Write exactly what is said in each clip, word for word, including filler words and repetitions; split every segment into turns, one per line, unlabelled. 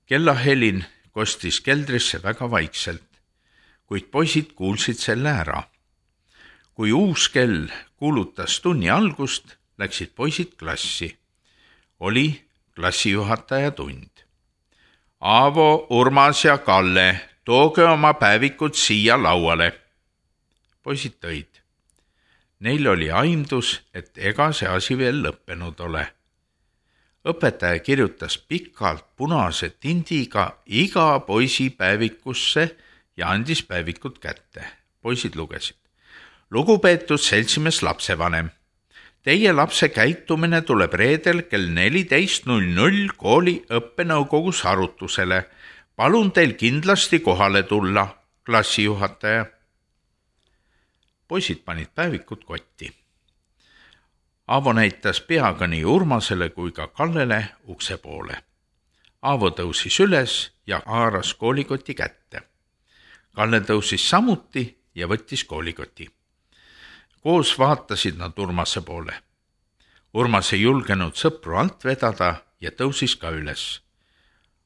Kellahelin kostis keldrisse väga vaikselt, kuid poisid kuulsid selle ära. Kui uus kell kuulutas tunni algust, läksid poisid klassi. Oli klassijuhataja tund. Aavo, Urmas ja Kalle, tooge oma päevikud siia lauale. Poisid tõid. Neil oli aimdus, et ega see asi veel lõppenud ole. Õpetaja kirjutas pikalt punase tindiga iga poisi päevikusse ja andis päevikud kätte. Poisid lugesid. Lugupeetud seltsimees lapsevanem, teie lapse käitumine tuleb reedel kell neliteist null null kooli õppenõukogus arutusele. Palun teil kindlasti kohale tulla, klassijuhataja. Poisid panid päevikud kotti. Aavo näitas peaga nii Urmasele kui ka Kallele ukse poole. Aavo tõusis üles ja haaras koolikoti kätte. Kalle tõusis samuti ja võttis koolikoti. Koos vaatasid nad Urmase poole. Urmas ei julgenud sõpru alt vedada ja tõusis ka üles.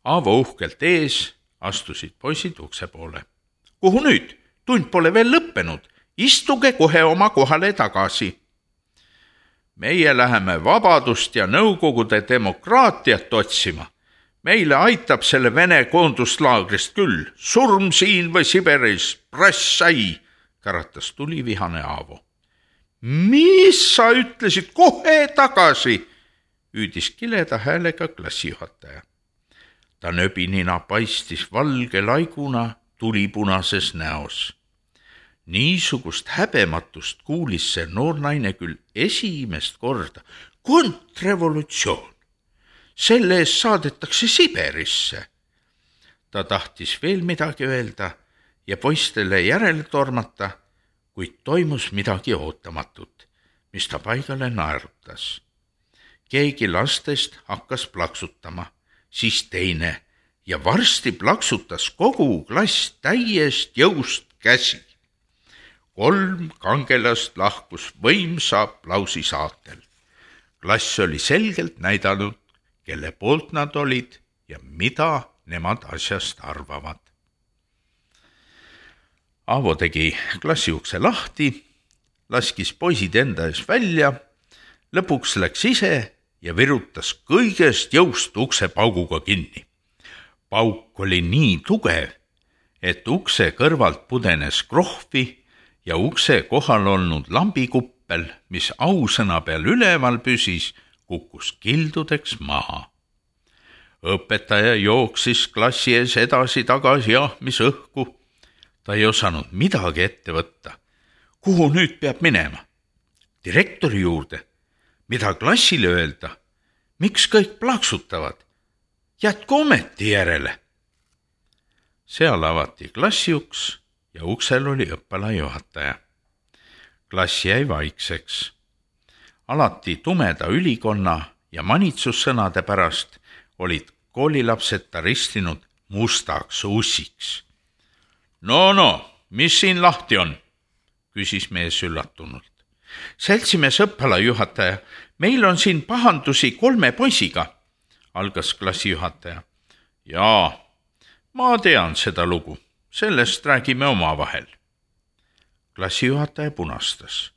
Aavo uhkelt ees astusid poisid ukse poole. Kuhu nüüd? Tund pole veel lõppenud. Istuge kohe oma kohale tagasi. Meie läheme vabadust ja nõukogude demokraatiat otsima. Meile aitab selle Vene koonduslaagrist küll. Surm siin või Siberis, prass sai, karatas tulivihane Aavo. Mis sa ütlesid kohe tagasi? Hüüdis kileda häälega klassijuhataja. Ta nöbinina paistis valge laiguna tulipunases näos. Niisugust häbematust kuulis see noornaine küll esimest korda. Kontrrevolutsioon. Selle eest saadetakse Siberisse. Ta tahtis veel midagi öelda ja poistele järele tormata, kuid toimus midagi ootamatut, mis ta paigale naerutas. Keegi lastest hakkas plaksutama, siis teine ja varsti plaksutas kogu klass täiest jõust käsi. Kolm kangelast lahkus võimsa aplausi saatel. Klass oli selgelt näidanud, kelle poolt nad olid ja mida nemad asjast arvavad. Aavo tegi klassiukse lahti, laskis poisid enda ees välja, lõpuks läks ise ja virutas kõigest jõust ukse pauguga kinni. Pauk oli nii tugev, et ukse kõrvalt pudenes krohvi ja ukse kohal olnud lambikuppel, mis ausõna peal üleval püsis, kukkus kildudeks maha. Õpetaja jooksis klassi ees edasi tagasi ahmis õhku. Ta ei osanud midagi ette võtta. Kuhu nüüd peab minema? Direktori juurde. Mida klassile öelda? Miks kõik plaksutavad? Jätku ometi järele. Seal avati klassiuks ja uksel oli õppelajuhataja. Klass jäi vaikseks. Alati tumeda ülikonna ja manitsussõnade pärast olid koolilapsed ta ristinud mustaks ussiks. No, no, mis siin lahti on? Küsis mees üllatunult. Seltsimees õppelajuhataja, meil on siin pahandusi kolme poisiga, algas klassijuhataja. Jaa, ma tean seda lugu, sellest räägime omavahel. Klassijuhataja punastas.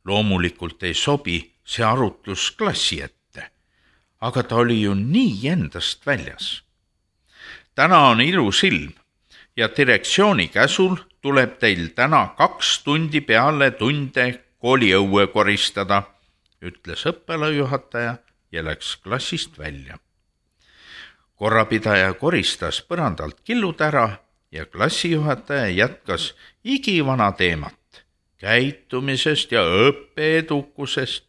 Loomulikult ei sobi see arutlus klassi ette, aga ta oli ju nii endast väljas. Täna on ilus ilm ja direktsiooni käsul tuleb teil täna kaks tundi peale tunde kooliõue koristada, ütles õppelajuhataja ja läks klassist välja. Korrapidaja koristas põrandalt killud ära ja klassijuhataja jätkas igivana teemat, käitumisest ja õppeedukusest.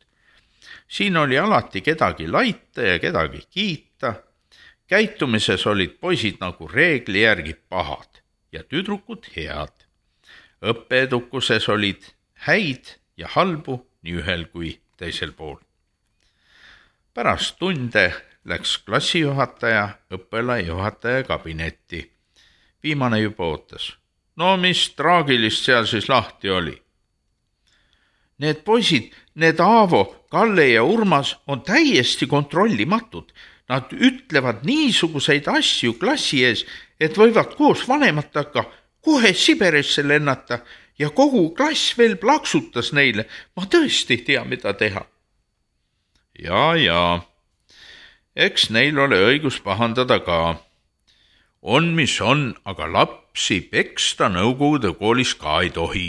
Siin oli alati kedagi laita ja kedagi kiita. Käitumises olid poisid nagu reegli järgi pahad ja tüdrukud head. Õppeedukuses olid häid ja halbu nii ühel kui teisel pool. Pärast tunde läks klassijuhataja õppelajuhataja kabinetti. Viimane juba ootas. No mis traagilist seal siis lahti oli? Need poisid, need Aavo, Kalle ja Urmas on täiesti kontrollimatud. Nad ütlevad niisuguseid asju klassi ees, et võivad koos vanematega kohe Siberisse lennata ja kogu klass veel plaksutas neile. Ma tõesti ei tea, mida teha. Ja, ja, eks neil ole õigus pahandada ka. On, mis on, aga lapsi peksta Nõukogude koolis ka ei tohi.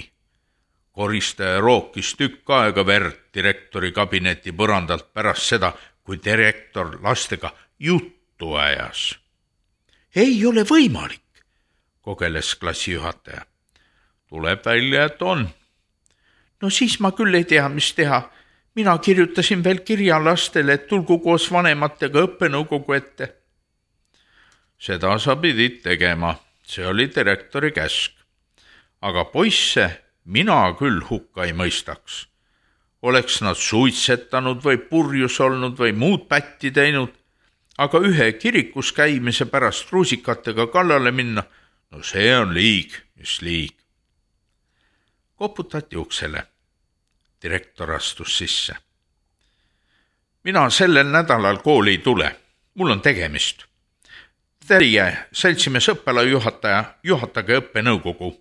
Koristaja rookis tükk aega verd direktori kabineti põrandalt pärast seda, kui direktor lastega juttu ajas. Ei ole võimalik, kogeles klassijuhataja. Tuleb välja, et on. No siis ma küll ei tea, mis teha. Mina kirjutasin veel kirja lastele, et tulgu koos vanematega õppenõukogu ette. Seda sa pidid tegema, see oli direktori käsk. Aga poisse mina küll hukka ei mõistaks. Oleks nad suitsetanud või purjus olnud või muud pätti teinud, aga ühe kirikus käimise pärast ruusikatega kallale minna, no see on liig, mis liig. Koputati uksele. Direktor astus sisse. Mina sellel nädalal kooli ei tule. Mul on tegemist. Teie seltsimees õppelajuhataja, juhatage õppenõukogu.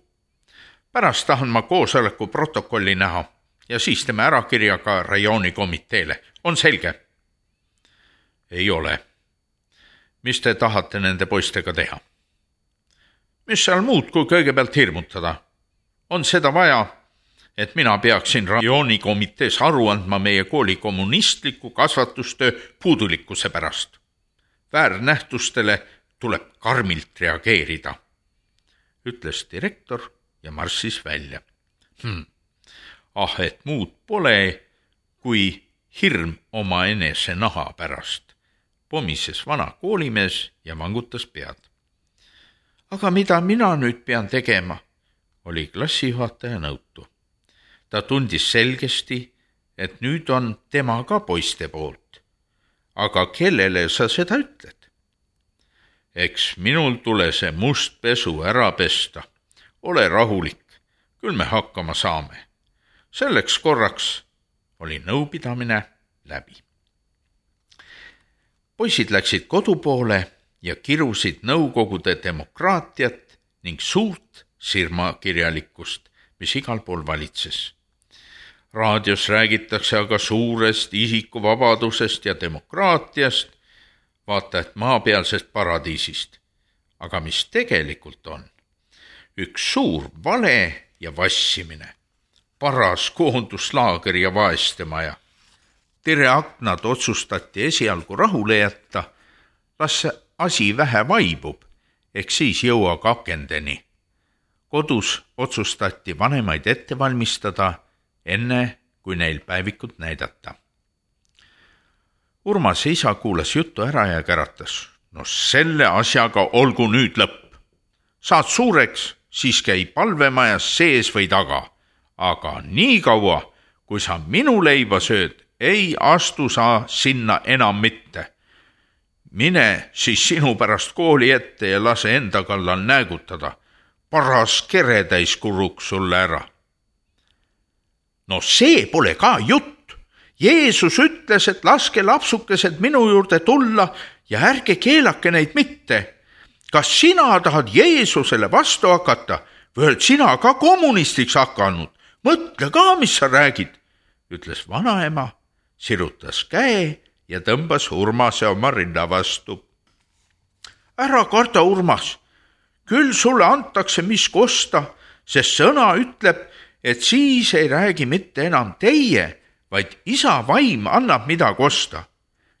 Pärast tahan ma koosoleku protokolli näha ja siis teeme ära kirja ka rajoonikomiteele. On selge? Ei ole. Mis te tahate nende poistega teha? Mis seal muud kui kõigepealt hirmutada? On seda vaja, et mina peaksin rajoonikomitees aru andma meie kooli kommunistliku kasvatustöö puudulikkuse pärast. Väärnähtustele tuleb karmilt reageerida, ütles direktor ja marssis välja. Hm. Ah, et muud pole kui hirm oma enese naha pärast, pomises vana koolimees ja vangutas pead. Aga mida mina nüüd pean tegema, oli klassijuhataja nõutu. Ta tundis selgesti, et nüüd on tema ka poiste poolt. Aga kellele sa seda ütled? Eks minul tule see must pesu ära pesta. Ole rahulik, küll me hakkama saame. Selleks korraks oli nõupidamine läbi. Poisid läksid kodu poole ja kirusid nõukogude demokraatiat ning suurt sirmakirjalikkust, mis igal pool valitses. Raadios räägitakse aga suurest isikuvabadusest ja demokraatiast, vaata et maapealsest paradiisist. Aga mis tegelikult on? Üks suur vale ja vassimine, paras koonduslaager ja vaestemaja. Tere aknad otsustati esialgu rahule jätta, las asi vähe vaibub, eks siis jõua akendeni. Kodus otsustati vanemaid ette valmistada, enne kui neil päevikut näidata. Urmase isa kuulas juttu ära ja käratas. No selle asjaga olgu nüüd lõpp. Saad suureks, siis käi palvemajas sees või taga. Aga nii kaua, kui sa minu leiba sööd, ei astu sa sinna enam mitte. Mine siis sinu pärast kooli ette ja lase enda kallal näägutada. Paras keretäis kuruks sulle ära. No see pole ka jutt. Jeesus ütles, et laske lapsukesed minu juurde tulla ja ärge keelake neid mitte. Kas sina tahad Jeesusele vastu hakata või oled sina ka kommunistiks hakanud? Mõtle ka, mis sa räägid, ütles vanaema, sirutas käe ja tõmbas Urmase oma rinda vastu. Ära karda, Urmas, küll sulle antakse mis kosta, sest sõna ütleb, et siis ei räägi mitte enam teie, vaid isa vaim annab mida kosta.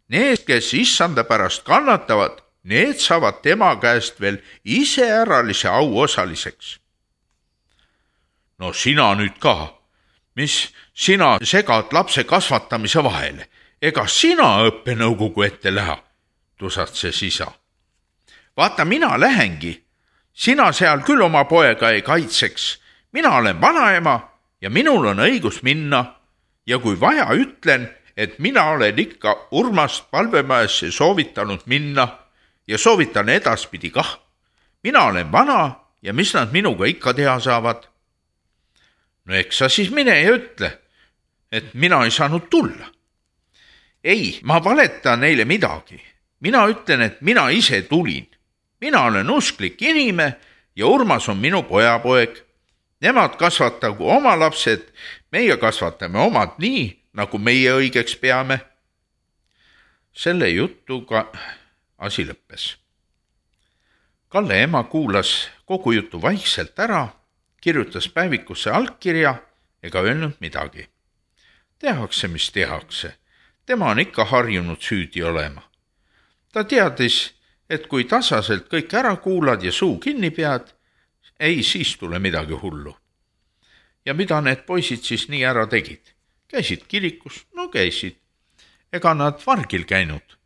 Need, kes issanda pärast kannatavad, need saavad tema käest veel iseäralise au osaliseks. No sina nüüd ka, mis sina segad lapse kasvatamise vahele, ega sina õppenõukogu ette lähe, tusatses isa. Vaata, mina lähengi, sina seal küll oma poega ei kaitseks, mina olen vanaema ja minul on õigus minna. Ja kui vaja, ütlen, et mina olen ikka Urmast palvemajasse soovitanud minna ja soovitan edaspidi kah. Mina olen vana ja mis nad minuga ikka teha saavad? No eks sa siis mine ja ütle, et mina ei saanud tulla. Ei, ma valetan neile midagi. mina ütlen, et mina ise tulin. Mina olen usklik inime ja Urmas on minu pojapoeg. Nemad kasvatagu oma lapsed, meie kasvatame omad nii, nagu meie õigeks peame. Selle jutuga asi lõppes. Kalle ema kuulas kogu jutu vaikselt ära, kirjutas päevikusse allkirja ega öelnud midagi. Tehakse, mis tehakse. Tema on ikka harjunud süüdi olema. Ta teadis, et kui tasaselt kõik ära kuulad ja suu kinni pead, ei, siis tule midagi hullu. Ja mida need poisid siis nii ära tegid? Käisid kirikus? No käisid. Ega nad vargil käinud.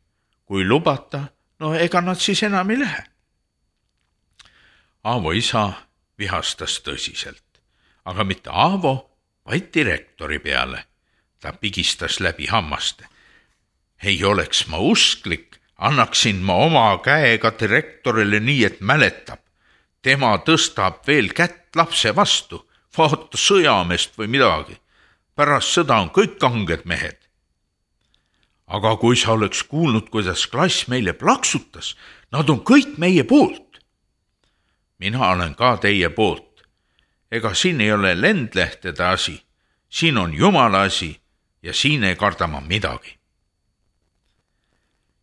Kui lubata, no ega nad siis enam ei lähe. Aavo isa vihastas tõsiselt, aga mitte Aavo, vaid direktori peale. Ta pigistas läbi hammaste. Ei oleks ma usklik, annaksin ma oma käega direktorile nii, et mäletab. Tema tõstab veel kätt lapse vastu, vaata sõjameest või midagi. Pärast sõda on kõik kanged mehed. Aga kui sa oleks kuulnud, kuidas klass meile plaksutas, nad on kõik meie poolt. Mina olen ka teie poolt. Ega siin ei ole lendlehtede asi. Siin on Jumala asi ja siin ei karda ma midagi.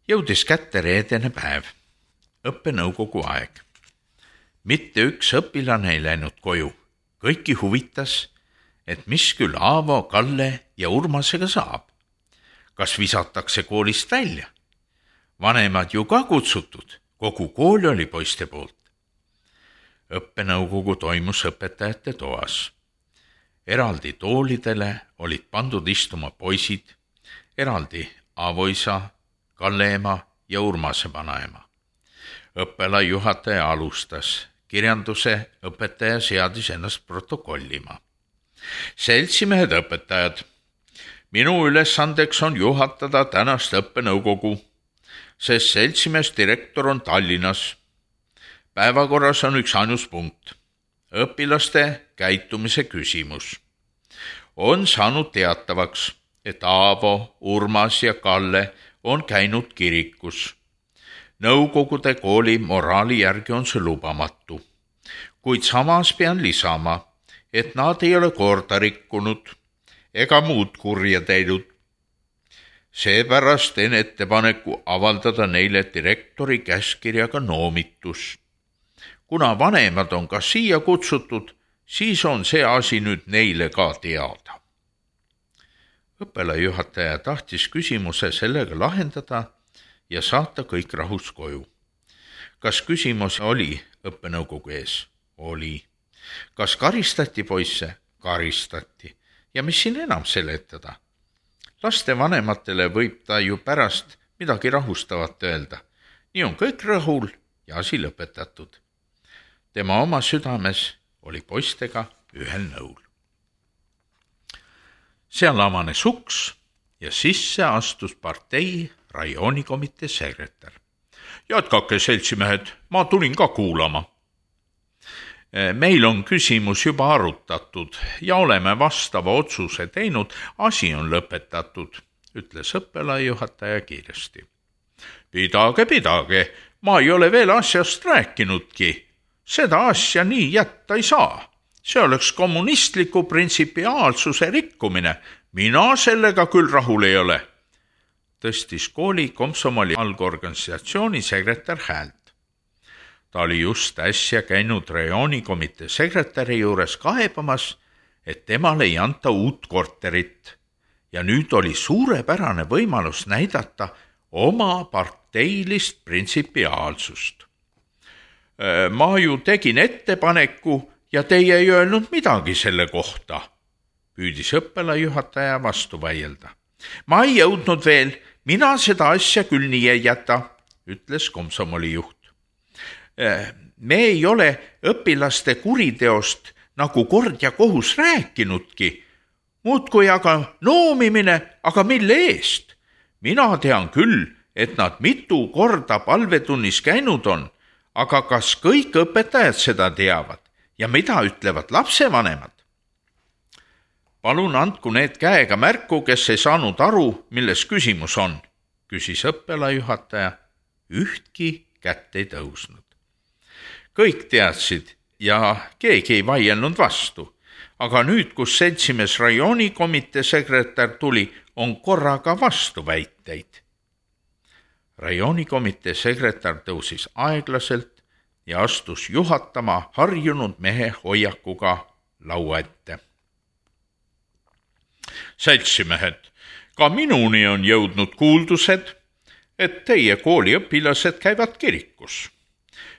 Jõudis kätte reedene päev. Õppenõukogu aeg. Mitte üks õpilane ei läinud koju. Kõiki huvitas, et mis küll Aavo, Kalle ja Urmasega saab. Kas visatakse koolist välja? Vanemad ju ka kutsutud. Kogu kool oli poiste poolt. Õppenõukogu toimus õpetajate toas. Eraldi toolidele olid pandud istuma poisid, eraldi Aavo isa, Kalle ema ja Urmase vanaema. Õppelajuhataja alustas. Kirjanduse õpetaja seadis ennast protokollima. Seltsimehed õpetajad. Minu ülesandeks on juhatada tänast õppenõukogu, sest seltsimees direktor on Tallinnas. Päevakorras on üks ainus punkt. Õpilaste käitumise küsimus. On saanud teatavaks, et Aavo, Urmas ja Kalle on käinud kirikus. Nõukogude kooli moraali järgi on see lubamatu. Kuid samas pean lisama, et nad ei ole korda rikkunud ega muud kurja teinud. Seepärast teen ettepaneku avaldada neile direktori käskirjaga noomitus. Kuna vanemad on ka siia kutsutud, siis on see asi nüüd neile ka teada. Õppelajuhataja tahtis küsimuse sellega lahendada ja saata kõik rahus koju. Kas küsimus oli õppenõukogu ees? Oli. Kas karistati poisse? Karistati. Ja mis siin enam seletada? Laste vanematele võib ta ju pärast midagi rahustavat öelda. Nii on kõik rõhul ja asi lõpetatud. Tema oma südames oli poistega ühel nõul. Seal avanes uks ja sisse astus partei rajoonikomitee sekretär. Jätkake, seltsimehed, ma tulin ka kuulama. Meil on küsimus juba arutatud ja oleme vastava otsuse teinud, asi on lõpetatud, ütles õppelajuhataja kiiresti. Pidage, pidage, ma ei ole veel asjast rääkinudki. Seda asja nii jätta ei saa. See oleks kommunistliku printsipiaalsuse rikkumine. Mina sellega küll rahul ei ole. Tõstis kooli komsomoli algorganisatsiooni sekretär häält. Ta oli just äsja käinud rajoonikomitee sekretäri juures kaebamas, et temale ei anta uut korterit. Ja nüüd oli suurepärane võimalus näidata oma parteilist printsipiaalsust. Ma ju tegin ettepaneku ja teie ei öelnud midagi selle kohta, püüdis õppelajuhataja vastu vaielda. Ma ei jõudnud veel, mina seda asja küll nii ei jäta, ütles komsomoli juht. Me ei ole õpilaste kuriteost nagu kord ja kohus rääkinudki. Muudkui aga noomimine, aga mille eest? Mina tean küll, et nad mitu korda palvetunnis käinud on, aga kas kõik õpetajad seda teavad ja mida ütlevad lapsevanemad? Palun andku need käega märku, kes ei saanud aru, milles küsimus on, küsis õppelajuhataja ühtki kätt ei tõusnud. Kõik teadsid ja keegi ei vaielnud vastu, aga nüüd, kus seltsimees rajoonikomitee sekretär tuli, on korraga vastuväiteid. Rajoonikomitee sekretär tõusis aeglaselt ja astus juhatama harjunud mehe hoiakuga laua ette. Seltsimehed, ka minuni on jõudnud kuuldused, et teie kooliõpilased käivad kirikus.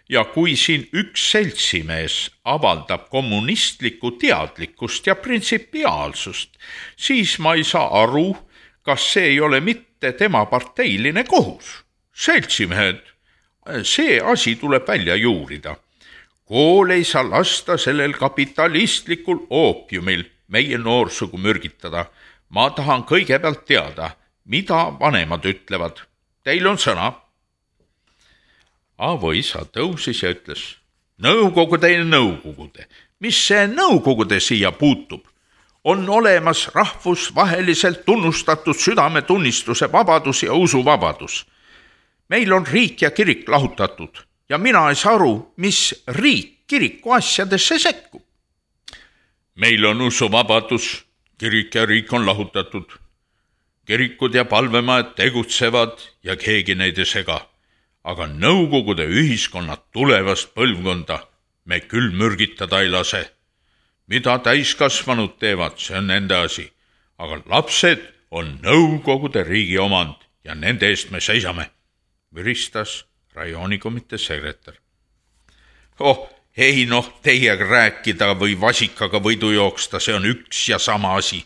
Ja kui siin üks seltsimees avaldab kommunistlikku teadlikkust ja printsipiaalsust, siis ma ei saa aru, kas see ei ole mitte tema parteiline kohus. Seltsimehed, see asi tuleb välja juurida. Kool ei saa lasta sellel kapitalistlikul oopiumil meie noorsugu mürgitada. Ma tahan kõigepealt teada, mida vanemad ütlevad. Teil on sõna. Aavo isa tõusis ja ütles, nõukogude ja nõukogude, mis see nõukogude siia puutub? On olemas rahvusvaheliselt tunnustatud südametunnistuse vabadus ja usuvabadus. Meil on riik ja kirik lahutatud ja mina ei saa aru, mis riik kiriku asjadesse sekkub. Meil on usuvabadus, kirik ja riik on lahutatud. Kirikud ja palvemajad tegutsevad ja keegi neid ei sega. Aga nõukogude ühiskonnad tulevast põlvkonda me küll mürgitada ei lase. Mida täiskasvanud teevad, see on nende asi. Aga lapsed on nõukogude riigi omand ja nende eest me seisame, müristas rajoonikomitee sekretär. Oh, ei noh, teiega rääkida või vasikaga võidu jooksta, see on üks ja sama asi,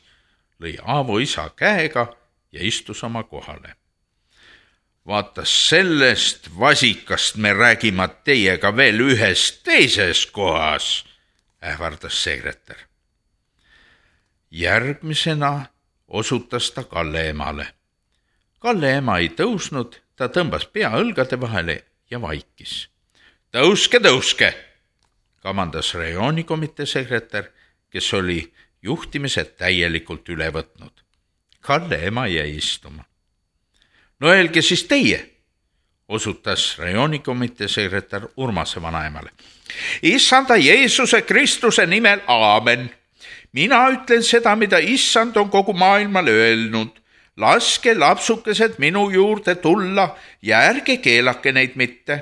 lõi Aavo isa käega ja istus oma kohale. Vaata, sellest vasikast me räägime teiega veel ühes teises kohas, ähvardas sekretär. Järgmisena osutas ta Kalle emale. Kalle ema ei tõusnud, ta tõmbas pea õlgade vahele ja vaikis. Tõuske, tõuske, kamandas rajoonikomitee sekretär, kes oli juhtimise täielikult üle võtnud. Kalle ema jäi istuma. No öelge siis teie, osutas rajoonikomitee sekretär Urmase vanaemale. Issanda Jeesuse Kristuse nimel aamen. Mina ütlen seda, mida issand on kogu maailmale öelnud. Laske lapsukesed minu juurde tulla ja ärge keelake neid mitte.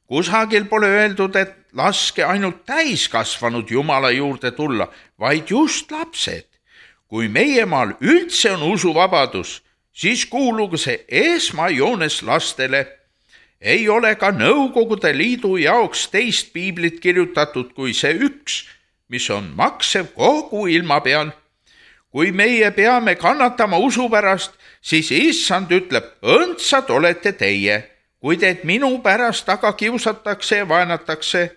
Kusagil pole öeldud, et laske ainult täiskasvanud Jumala juurde tulla, vaid just lapsed. Kui meie maal üldse on usuvabadus, siis kuulugu see esmajoones lastele. Ei ole ka Nõukogude Liidu jaoks teist piiblit kirjutatud kui see üks, mis on maksev kogu ilma peal. Kui meie peame kannatama usu pärast, siis issand ütleb, õndsad olete teie, kui teid minu pärast aga kiusatakse ja vaenatakse.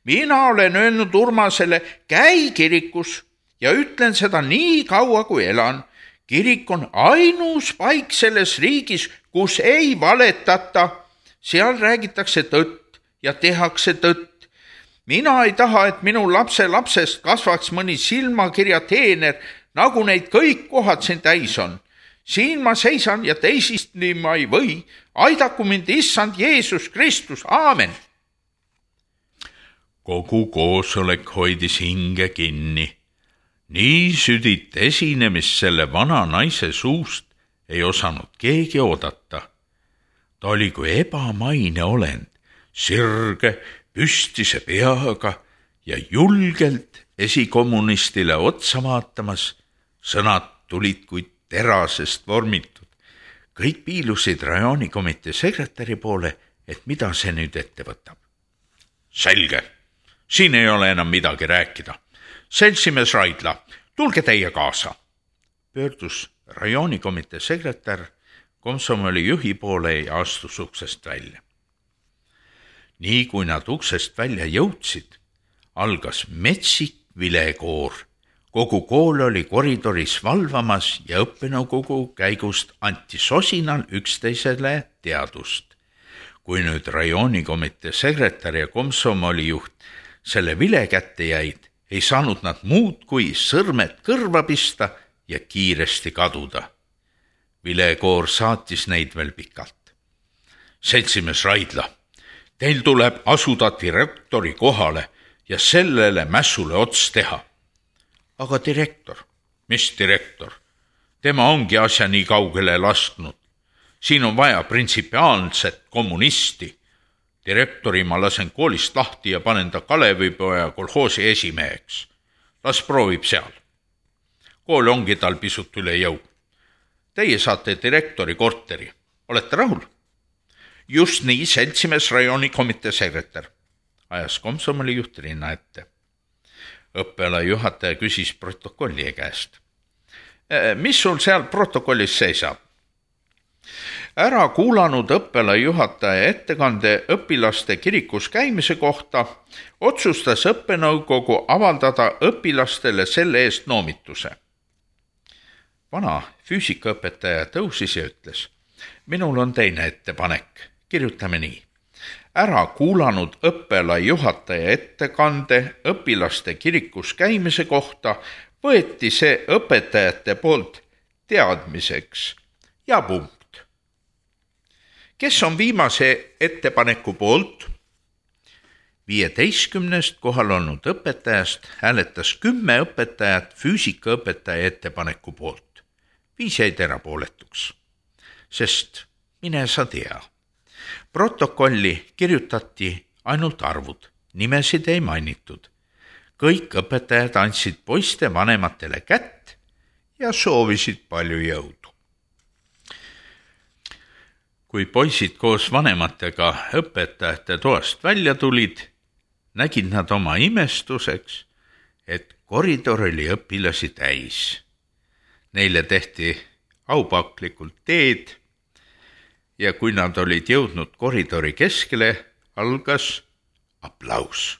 Mina olen öelnud Urmasele, käi kirikus ja ütlen seda nii kaua, kui elan. Kirik on ainus paik selles riigis, kus ei valetata. Seal räägitakse tõtt ja tehakse tõtt. Mina ei taha, et minu lapse lapsest kasvaks mõni silmakirja teener, nagu neid kõik kohad siin täis on. Siin ma seisan ja teisistni ma ei või. Aidaku mind issand Jeesus Kristus. Aamen. Kogu koosolek hoidis hinge kinni. Nii südit esinemist selle vana naise suust ei osanud keegi oodata. Ta oli kui ebamaine olend, sirge, püstise peaga ja julgelt esikommunistile otsa vaatamas. Sõnad tulid kui terasest vormitud. Kõik piilusid rajoonikomitee sekretäri poole, et mida see nüüd ette võtab. Selge, siin ei ole enam midagi rääkida. Seltsimees Raidla, tulge teie kaasa, pöördus rajoonikomitee sekretär komsomoli juhi poole ja astus uksest välja. Nii kui nad uksest välja jõudsid, algas metsik vilekoor. Kogu kool oli koridoris valvamas ja õppenõukogu käigust anti sosinal üksteisele teadust. Kui nüüd rajoonikomitee sekretär ja komsomoli juht selle vile kätte jäid, ei saanud nad muud kui sõrmed kõrva pista ja kiiresti kaduda. Vilekoor saatis neid veel pikalt. seltsimees Raidla, teil tuleb asuda direktori kohale ja sellele mässule ots teha. Aga direktor, mis direktor? Tema ongi asja nii kaugele lasknud. Siin on vaja printsipiaalset kommunisti. Direktori ma lasen koolist lahti ja panen ta Kalevipoja kolhoosi esimeheks. Las proovib seal. Kool ongi tal pisut üle jõu. Teie saate direktori korteri. Olete rahul? Just nii, seltsimees rajooni komitee sekretär. Ajas komsomoli juht rinna ette. Õppela juhataja küsis protokolli käest. Mis sul seal protokollis seisab? Ära kuulanud õppela juhataja ettekande õpilaste kirikus käimise kohta, otsustas õppenõukogu avaldada õpilastele selle eest noomituse. Vana füüsikaõpetaja tõusis ja ütles, minul on teine ettepanek, kirjutame nii. Ära kuulanud õppela juhataja ettekande õpilaste kirikus käimise kohta, võeti see õpetajate poolt teadmiseks ja punkt. Kes on viimase ettepaneku poolt? viieteistkümnest kohal olnud õpetajast hääletas kümme õpetajat füüsikaõpetaja ettepaneku poolt. Viis jäid erapooletuks, sest mine sa tea. Protokolli kirjutati ainult arvud, nimesid ei mainitud. Kõik õpetajad andsid poiste vanematele kätt ja soovisid palju jõudu. Kui poisid koos vanematega õpetajate toast välja tulid, nägid nad oma imestuseks, et koridor oli õpilasi täis. Neile tehti aupaklikult teed ja kui nad olid jõudnud koridori keskele, algas aplaus.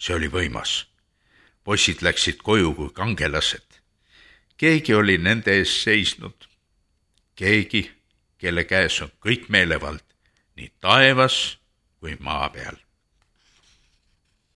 See oli võimas. Poisid läksid koju kui kangelased. Keegi oli nende ees seisnud. Keegi, kelle käes on kõik meelevald, nii taevas kui maa peal.